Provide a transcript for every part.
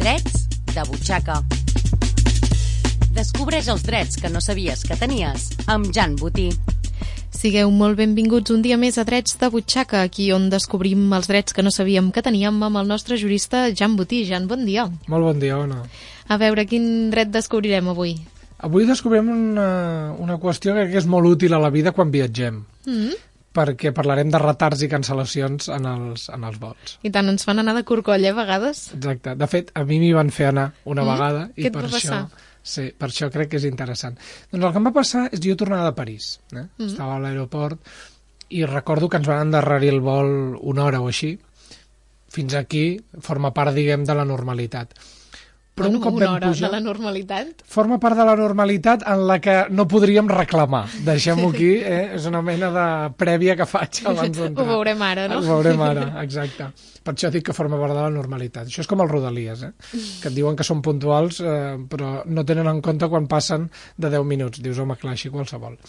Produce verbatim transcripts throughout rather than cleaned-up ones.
Drets de butxaca. Descobreix els drets que no sabies que tenies amb Jan Botí. Sigueu molt benvinguts un dia més a Drets de butxaca, aquí on descobrim els drets que no sabíem que teníem amb el nostre jurista Jan Botí. Jan, bon dia. Molt bon dia, Ona. A veure, quin dret descobrirem avui? Avui descobrirem una, una qüestió que és molt útil a la vida quan viatgem. Mm-hmm. Perquè parlarem de retards i cancel·lacions en els, en els vols. I tant, ens fan anar de corcoll, eh, a vegades? Exacte. De fet, a mi m'hi van fer anar una mm? vegada. Què i et per va passar? Això, sí, per això crec que és interessant. Doncs el que em va passar és jo tornava de París. Eh? Mm. Estava a l'aeroport i recordo que ens van endarrerir el vol una hora o així. Fins aquí forma part, diguem, de la normalitat. Però bueno, un cop una hora pujar, de la normalitat? Forma part de la normalitat en la que no podríem reclamar. Deixem-ho aquí, eh? És una mena de prèvia que faig abans d'entrar. Ho veurem ara, no? Ho veurem ara, exacte. Per això dic que forma part de la normalitat. Això és com els Rodalies, eh? Que et diuen que són puntuals, eh, però no tenen en compte quan passen de deu minuts. Dius, home, clar, així qualsevol.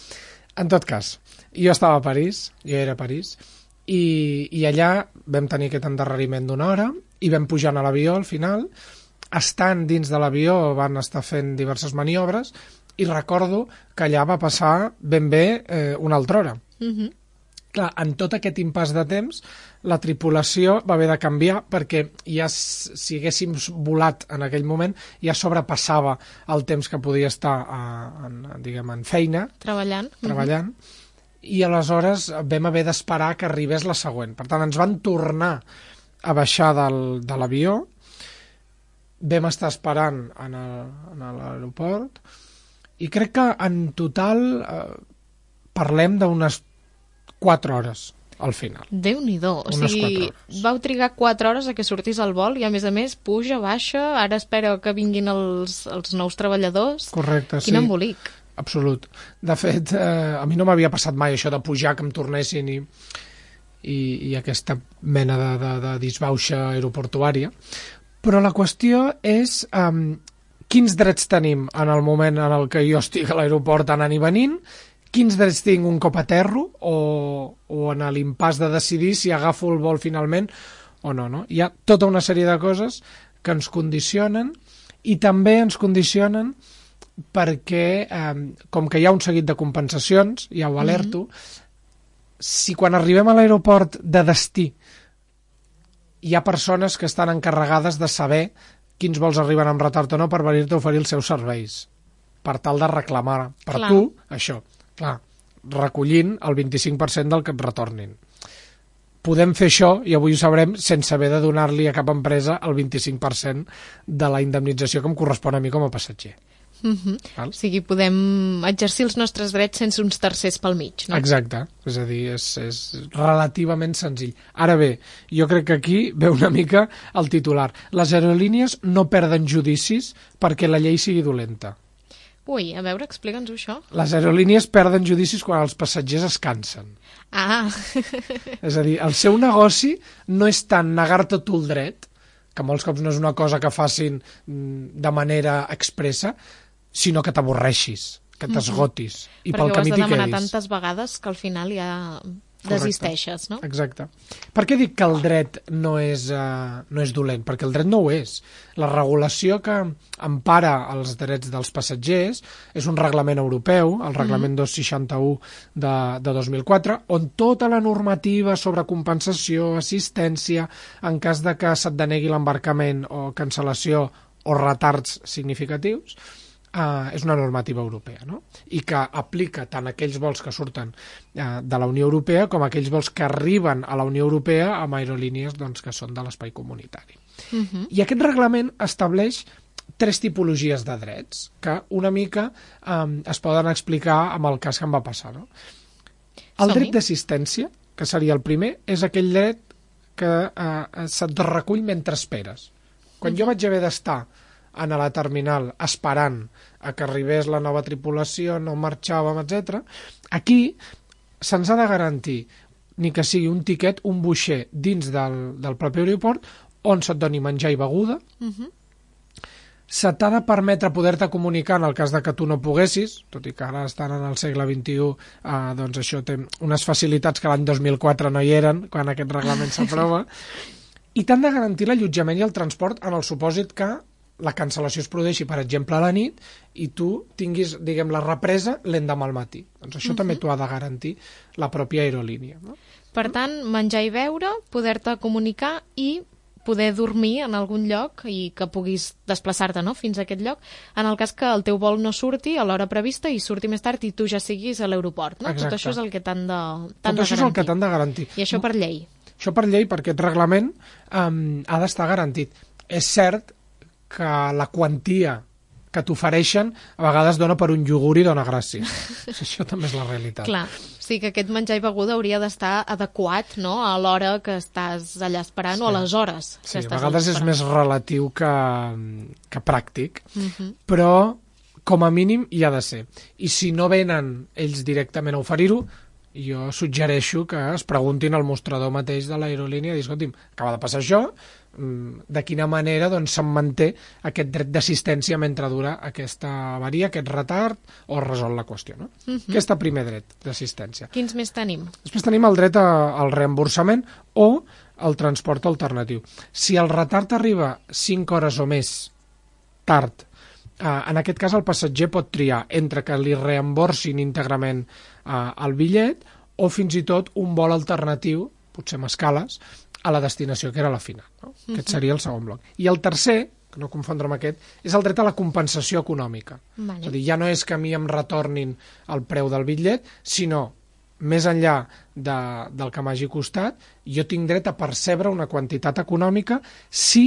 En tot cas, jo estava a París, jo era a París, i, i allà vam tenir aquest endarreriment d'una hora i vam pujar a l'avió al final. Estant dins de l'avió van estar fent diverses maniobres i recordo que allà va passar ben bé eh, una altra hora. Mm-hmm. Clar, en tot aquest impàs de temps la tripulació va haver de canviar perquè ja si haguéssim volat en aquell moment ja sobrepassava el temps que podia estar a, en, diguem, en feina. Treballant. Treballant. Mm-hmm. I aleshores vam haver d'esperar que arribés la següent. Per tant, ens van tornar a baixar del, de l'avió. Vam estar esperant en l'aeroport i crec que en total eh, parlem d'unes quatre hores al final. Déu-n'hi-do, o sigui, vau trigar quatre hores a que sortís el vol i a més a més puja, baixa, ara espera que vinguin els, els nous treballadors. Correcte, sí. Quin embolic. Absolut. De fet, eh, a mi no m'havia passat mai això de pujar, que em tornessin i, i, i aquesta mena de, de, de disbauxa aeroportuària. Però la qüestió és um, quins drets tenim en el moment en el que jo estic a l'aeroport anant i venint, quins drets tinc un cop aterro o, o en l'impàs de decidir si agafo el vol finalment o no, no. Hi ha tota una sèrie de coses que ens condicionen i també ens condicionen perquè, um, com que hi ha un seguit de compensacions, ja ho alerto, mm-hmm. si quan arribem a l'aeroport de destí hi ha persones que estan encarregades de saber quins vols arriben amb retard o no per venir-te a oferir els seus serveis, per tal de reclamar per clar. Tu això, clar, recollint el vint-i-cinc per cent del que et retornin. Podem fer això, i avui ho sabrem, sense haver de donar-li a cap empresa el vint-i-cinc per cent de la indemnització que em correspon a mi com a passatger. Mm-hmm. O sigui, podem exercir els nostres drets sense uns tercers pel mig, no? Exacte, és a dir, és, és relativament senzill. Ara bé, jo crec que aquí ve una mica el titular. Les aerolínies no perden judicis perquè la llei sigui dolenta. Ui, a veure, explica'ns això. Les aerolínies perden judicis quan els passatgers es cansen. Ah! És a dir, el seu negoci no és tant negar-te tu el dret, que molts cops no és una cosa que facin de manera expressa, sinó que t'avorreixis, que t'esgotis, mm-hmm. i perquè pel camí t'hi quedis. Perquè ho has de demanar tantes vegades que al final ja desisteixes, no? Exacte. Per què dic que el dret no és, uh, no és dolent? Perquè el dret no ho és. La regulació que empara els drets dels passatgers és un reglament europeu, el reglament mm-hmm. dos cents i seixanta-u de, de dos mil quatre, on tota la normativa sobre compensació, assistència, en cas de que se't denegui l'embarcament o cancel·lació o retards significatius, Uh, és una normativa europea, no? I que aplica tant aquells vols que surten uh, de la Unió Europea com aquells vols que arriben a la Unió Europea amb aerolínies doncs, que són de l'espai comunitari. Uh-huh. I aquest reglament estableix tres tipologies de drets que una mica um, es poden explicar amb el cas que em va passar, no? El Som-hi. Dret d'assistència, que seria el primer, és aquell dret que uh, se't recull mentre esperes. Quan uh-huh. jo vaig haver d'estar a la terminal esperant a que arribés la nova tripulació, no marxàvem, etcètera. Aquí se'ns ha de garantir ni que sigui un tiquet, un boixer dins del, del propi aeroport on se't doni menjar i beguda. Uh-huh. Se t'ha de permetre poder-te comunicar en el cas de que tu no poguessis, tot i que ara estan en el segle vint-i-u, eh, doncs això té unes facilitats que l'any dos mil quatre no hi eren, quan aquest reglament s'aprova. i t'han de garantir l'allotjament i el transport en el supòsit que la cancel·lació es produeixi, per exemple, a la nit i tu tinguis, diguem, la represa l'endemà al matí. Doncs això uh-huh. també t'ho ha de garantir la pròpia aerolínia. No? Per tant, menjar i beure, poder-te comunicar i poder dormir en algun lloc i que puguis desplaçar-te, no?, fins a aquest lloc, en el cas que el teu vol no surti a l'hora prevista i surti més tard i tu ja siguis a l'aeroport, no? Exacte. Tot això és el que t'han de, t'han Tot de això garantir. és el que t'han de garantir. I això per llei? Això per llei, perquè aquest reglament um, ha d'estar garantit. És cert que la quantia que t'ofereixen a vegades dona per un iogurt i dona gràcia. Això també és la realitat. Clar, sí que aquest menjar i beguda hauria d'estar adequat, no?, a l'hora que estàs allà esperant sí. o a les hores que sí, estàs a vegades és més relatiu que, que pràctic, uh-huh. però com a mínim hi ha de ser. I si no venen ells directament a oferir-ho, jo suggereixo que es preguntin al mostrador mateix de l'aerolínia i dir, escolti'm, acaba de passar això, de quina manera doncs, se'n manté aquest dret d'assistència mentre dura aquesta avaria, aquest retard, o resol la qüestió. No? Uh-huh. Aquest primer dret d'assistència. Quins més tenim? Després tenim el dret a, al reemborsament o el transport alternatiu. Si el retard arriba cinc hores o més tard, eh, en aquest cas el passatger pot triar entre que li reemborsin íntegrament eh, el bitllet o fins i tot un vol alternatiu, potser amb escales, a la destinació, que era la final. No? Uh-huh. Aquest seria el segon bloc. I el tercer, que no confondre amb aquest, és el dret a la compensació econòmica. Vale. És a dir, ja no és que a mi em retornin el preu del bitllet, sinó, més enllà de, del que m'hagi costat, jo tinc dret a percebre una quantitat econòmica si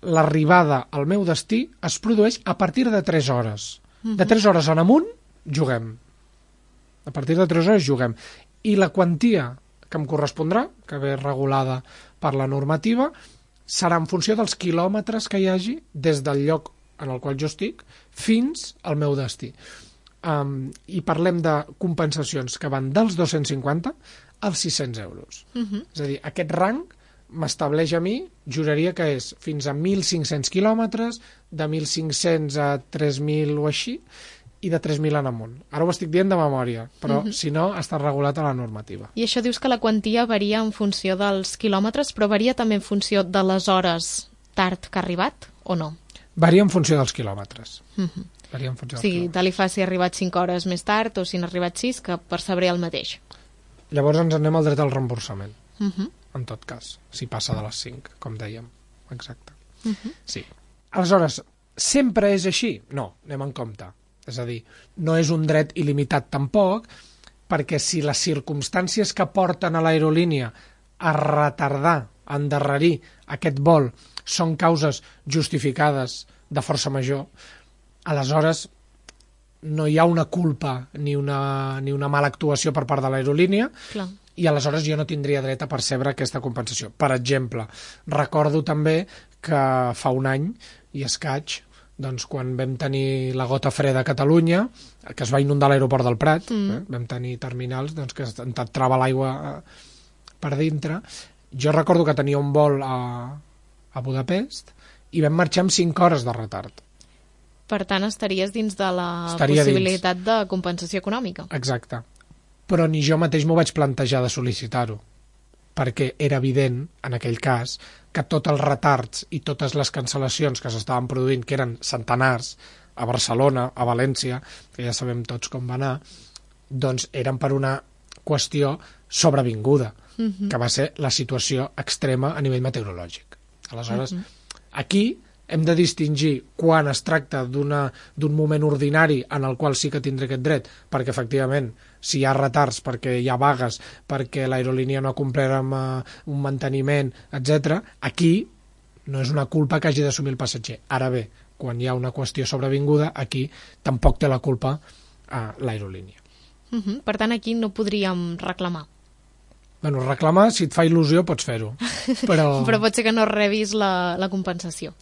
l'arribada al meu destí es produeix a partir de tres hores. Uh-huh. De tres hores en amunt, juguem. A partir de tres hores juguem. I la quantia que em correspondrà, que ve regulada per la normativa, serà en funció dels quilòmetres que hi hagi des del lloc en el qual jo estic fins al meu destí. Um, I parlem de compensacions que van dels dos-cents cinquanta als sis-cents euros. Uh-huh. És a dir, aquest rang m'estableix a mi, juraria que és fins a mil cinc-cents quilòmetres, de mil cinc-cents a tres mil o així, i de tres mil en amunt. Ara ho estic dient de memòria, però uh-huh. si no, està regulat a la normativa. I això dius que la quantia varia en funció dels quilòmetres, però varia també en funció de les hores tard que ha arribat, o no? Varia en funció dels quilòmetres. Uh-huh. Varia en funció dels sí, quilòmetres. te li fa si ha arribat cinc hores més tard o si n'ha arribat sis, que percebré el mateix. Llavors ens anem al dret al reemborsament, uh-huh. en tot cas, si passa de les cinc, com dèiem. Exacte. Uh-huh. Sí. Aleshores, sempre és així? No, anem en compte. És a dir, no és un dret il·limitat tampoc, perquè si les circumstàncies que porten a l'aerolínia a retardar, a endarrerir aquest vol són causes justificades de força major, aleshores no hi ha una culpa ni una, ni una mala actuació per part de l'aerolínia. Clar. I aleshores jo no tindria dret a percebre aquesta compensació. Per exemple, recordo també que fa un any i escaig, doncs, quan vam tenir la gota freda a Catalunya, que es va inundar l'aeroport del Prat, mm. eh? vam tenir terminals doncs, que entrava l'aigua eh, per dintre. Jo recordo que tenia un vol a, a Budapest i vam marxar amb cinc hores de retard. Per tant, estaries dins de la Estaria possibilitat dins. de compensació econòmica. Exacte. Però ni jo mateix m'ho vaig plantejar de sol·licitar-ho, perquè era evident, en aquell cas, que tots els retards i totes les cancel·lacions que s'estaven produint, que eren centenars, a Barcelona, a València, que ja sabem tots com va anar, doncs eren per una qüestió sobrevinguda, uh-huh. que va ser la situació extrema a nivell meteorològic. Aleshores, uh-huh. aquí hem de distingir quan es tracta d'una, d'un moment ordinari en el qual sí que tindré aquest dret, perquè efectivament si hi ha retards, perquè hi ha vagues, perquè l'aerolínia no ha complert amb uh, un manteniment, etcètera, aquí no és una culpa que hagi d'assumir el passatger. Ara bé, quan hi ha una qüestió sobrevinguda, aquí tampoc té la culpa uh, l'aerolínia. Uh-huh. Per tant, aquí no podríem reclamar. Bueno, reclamar, si et fa il·lusió, pots fer-ho. Però... però pot ser que no rebis la, la compensació.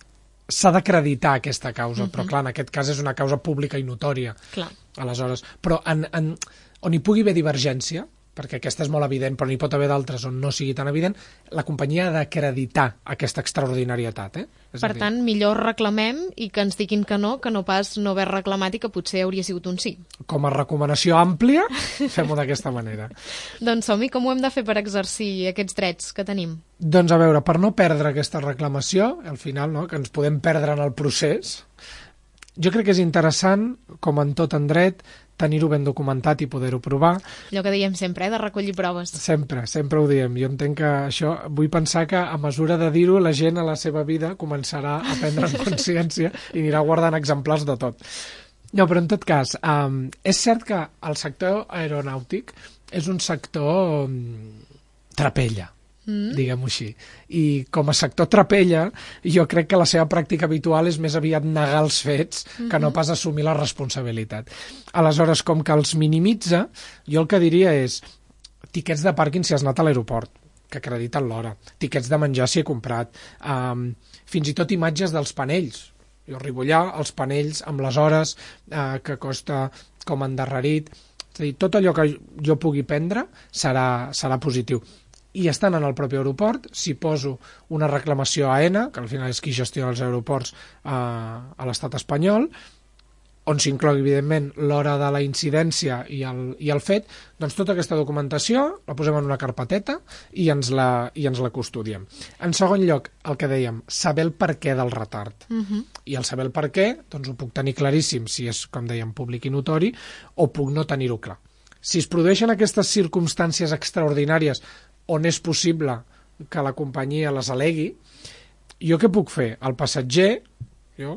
S'ha d'acreditar aquesta causa, uh-huh. però clar, en aquest cas és una causa pública i notòria. Clar. Aleshores, però en, en, on hi pugui haver divergència, perquè aquesta és molt evident, però n'hi pot haver d'altres on no sigui tan evident, la companyia ha d'acreditar aquesta extraordinarietat. Eh? És per tant, millor reclamem i que ens diguin que no, que no pas no haver reclamat i que potser hauria sigut un sí. Com a recomanació àmplia, fem-ho d'aquesta manera. Doncs som-hi, com ho hem de fer per exercir aquests drets que tenim? Doncs a veure, per no perdre aquesta reclamació, al final, no, que ens podem perdre en el procés, jo crec que és interessant, com en tot en dret, tenir-ho ben documentat i poder-ho provar. Allò que diem sempre, eh, de recollir proves. Sempre, sempre ho diem. Jo entenc que això, vull pensar que a mesura de dir-ho, la gent a la seva vida començarà a prendre en consciència i anirà guardant exemplars de tot. No, però en tot cas, um, és cert que el sector aeronàutic és un sector um, trapella, Mm. diguem-ho així. I com a sector trapella, jo crec que la seva pràctica habitual és més aviat negar els fets que mm-hmm. no pas assumir la responsabilitat. Aleshores, com que els minimitza, jo el que diria és tiquets de pàrquing si has anat a l'aeroport, que acrediten l'hora, tiquets de menjar si he comprat, um, fins i tot imatges dels panells. Jo arribo allà, els panells amb les hores uh, que costa com endarrerit, és a dir, tot allò que jo pugui prendre serà, serà positiu. I estan en el propi aeroport, si poso una reclamació a AENA, que al final és qui gestiona els aeroports eh, a l'estat espanyol, on s'inclogui, evidentment, l'hora de la incidència i el, i el fet, doncs tota aquesta documentació la posem en una carpeteta i ens la, i ens la custodiem. En segon lloc, el que dèiem, saber el perquè del retard. Uh-huh. I el saber el perquè, doncs ho puc tenir claríssim, si és, com dèiem, públic i notori, o puc no tenir-ho clar. Si es produeixen aquestes circumstàncies extraordinàries on és possible que la companyia les alegui, jo què puc fer? El passatger, jo,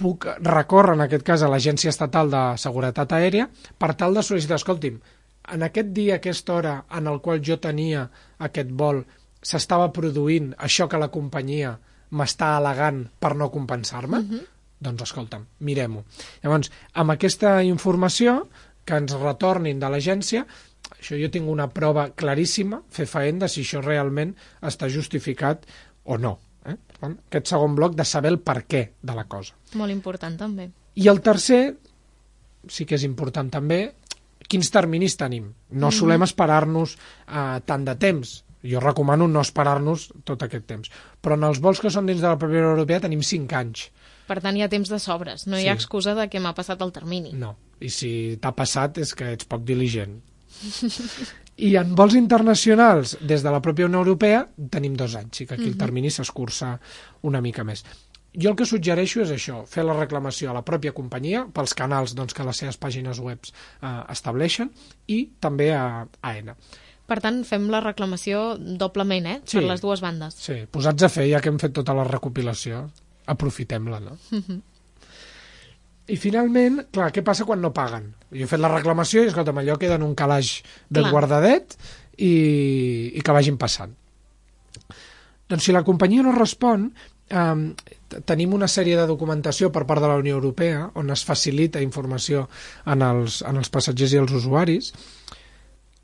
puc recórrer en aquest cas a l'Agència Estatal de Seguretat Aèria per tal de sol·licitar, escolti'm, en aquest dia, aquesta hora en el qual jo tenia aquest vol, s'estava produint això que la companyia m'està al·legant per no compensar-me? Uh-huh. Doncs escolta'm, mirem-ho. Llavors, amb aquesta informació que ens retornin de l'agència, això jo tinc una prova claríssima, fefaent, de si això realment està justificat o no. Eh? Per tant, aquest segon bloc de saber el per què de la cosa. Molt important, també. I el tercer, sí que és important també, quins terminis tenim. No mm-hmm. solem esperar-nos eh, tant de temps. Jo recomano no esperar-nos tot aquest temps. Però en els vols que són dins de la pròpia Unió Europea tenim cinc anys. Per tant, hi ha temps de sobres. No sí. hi ha excusa de que m'ha passat el termini. No. I si t'ha passat és que ets poc diligent. I en vols internacionals des de la pròpia Unió Europea tenim dos anys, i que aquí uh-huh. el termini s'escurça una mica més. Jo el que suggereixo és això, fer la reclamació a la pròpia companyia pels canals doncs, que les seves pàgines web eh, estableixen, i també a AENA. Per tant, fem la reclamació doblement, eh? Sí, per les dues bandes. Sí, posats a fer, ja que hem fet tota la recopilació, aprofitem-la, no? Uh-huh. I finalment, clar, què passa quan no paguen? Jo he fet la reclamació i, escolta'm, allò queda en un calaix ben clar. guardadet i, i que vagin passant. Doncs si la companyia no respon, eh, tenim una sèrie de documentació per part de la Unió Europea on es facilita informació en els, en els passatgers i els usuaris.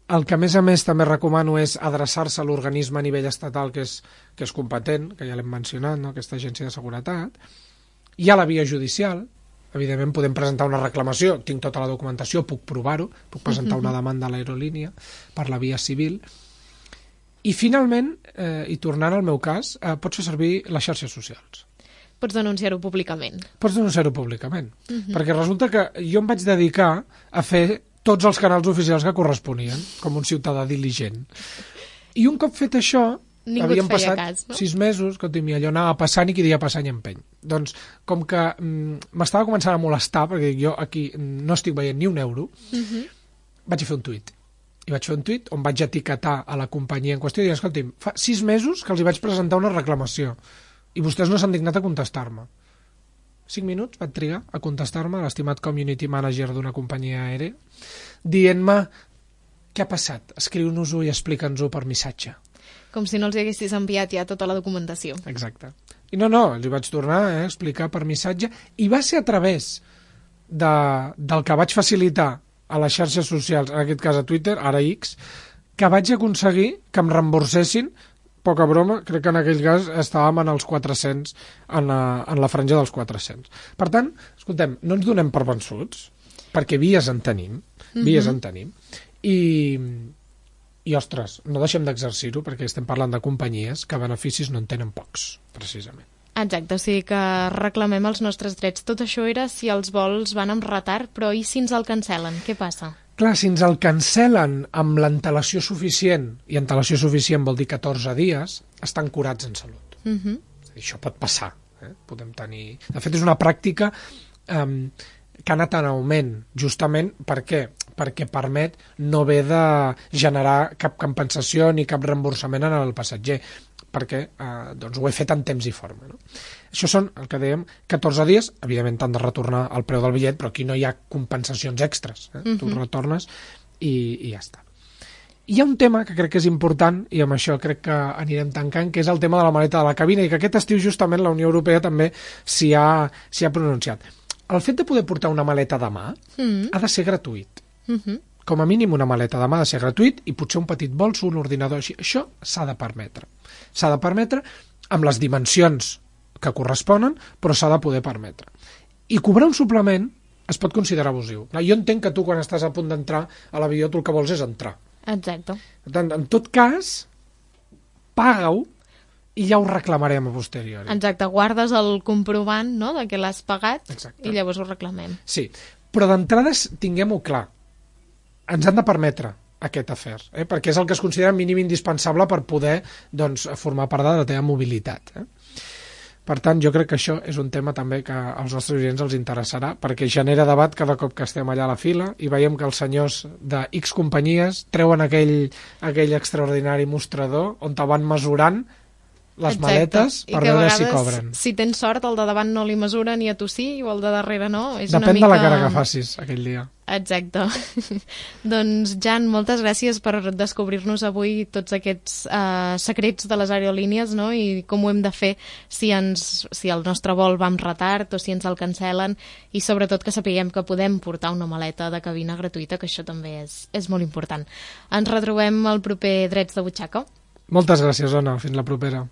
El que, a més a més, també recomano és adreçar-se a l'organisme a nivell estatal que és, que és competent, que ja l'hem mencionat, no? Aquesta agència de seguretat. Hi ha la via judicial. Evidentment podem presentar una reclamació, tinc tota la documentació, puc provar-ho, puc presentar una demanda a l'aerolínia per la via civil. I finalment, eh, i tornant al meu cas, eh, pots fer servir les xarxes socials. Pots denunciar-ho públicament. Pots denunciar-ho públicament. Uh-huh. Perquè resulta que jo em vaig dedicar a fer tots els canals oficials que corresponien, com un ciutadà diligent. I un cop fet això, ningú havien passat cas, no? sis mesos, que allò anava passant i qui dia passant i empeny. Doncs, com que mm, m'estava començant a molestar, perquè jo aquí no estic veient ni un euro, uh-huh. vaig fer un tuit. I vaig fer un tuit on vaig etiquetar a la companyia en qüestió i dir, escolti'm, fa sis mesos que els hi vaig presentar una reclamació i vostès no s'han dignat a contestar-me. Cinc minuts vaig trigar a contestar-me l'estimat community manager d'una companyia aèria, dient-me què ha passat, escriu-nos-ho i explica'ns-ho per missatge. Com si no els haguessis enviat ja tota la documentació. Exacte. I no, no, els hi vaig tornar a eh, explicar per missatge, i va ser a través de, del que vaig facilitar a les xarxes socials, en aquest cas a Twitter, ara X, que vaig aconseguir que em reemborsessin, poca broma, crec que en aquell cas estàvem en els quatre-cents, en la, en la franja dels quatre-cents. Per tant, escoltem, no ens donem per vençuts, perquè vies en tenim, vies uh-huh. en tenim, i... I, ostres, no deixem d'exercir-ho perquè estem parlant de companyies que beneficis no en tenen pocs, precisament. Exacte, o sigui que reclamem els nostres drets. Tot això era si els vols van amb retard, però i si ens el cancel·len? Què passa? Clar, si ens el cancel·len amb l'antelació suficient, i antelació suficient vol dir catorze dies, estan curats en salut. Uh -huh. Això pot passar. Eh? Podem tenir... De fet, és una pràctica eh, que ha anat en augment, justament per què? Perquè permet no haver de generar cap compensació ni cap reemborsament en el passatger, perquè eh, doncs ho he fet en temps i forma. No? Això són, el que dèiem, catorze dies, evidentment t'han de retornar el preu del bitllet, però aquí no hi ha compensacions extres. Eh? Uh-huh. Tu retornes i, i ja està. Hi ha un tema que crec que és important, i amb això crec que anirem tancant, que és el tema de la maleta de la cabina, i que aquest estiu justament la Unió Europea també s'hi ha, s'hi ha pronunciat. El fet de poder portar una maleta de mà uh-huh. ha de ser gratuït. Uh-huh. Com a mínim una maleta de mà ha de ser gratuït i potser un petit bolso, un ordinador així. Això s'ha de permetre. S'ha de permetre amb les dimensions que corresponen, però s'ha de poder permetre. I cobrar un suplement es pot considerar abusiu. Jo entenc que tu quan estàs a punt d'entrar a l'avió tu el que vols és entrar. Exacte. Per tant, en tot cas, paga-ho i ja ho reclamarem a posteriori. Exacte, guardes el comprovant, no?, de que l'has pagat. Exacte. I llavors ho reclamem. Sí, però d'entrada tinguem-ho clar. Ens han de permetre aquest afer, eh? perquè és el que es considera mínim indispensable per poder doncs, formar part de la teva mobilitat. Eh? Per tant, jo crec que això és un tema també que als nostres oients els interessarà, perquè genera debat cada cop que estem allà a la fila i veiem que els senyors de X companyies treuen aquell, aquell extraordinari mostrador on te van mesurant les Exacte. Maletes per veure vegades, si cobren. Si tens sort, el de davant no li mesura ni a tu sí, o el de darrere no. És Depèn una mica... de la cara que facis aquell dia. Exacte. Doncs, Jan, moltes gràcies per descobrir-nos avui tots aquests uh, secrets de les aerolínies, no?, i com ho hem de fer si, ens, si el nostre vol va amb retard o si ens el cancel·len, i sobretot que sapiguem que podem portar una maleta de cabina gratuïta, que això també és, és molt important. Ens retrobem al proper Drets de Butxaca. Moltes gràcies, Ona. Fins la propera.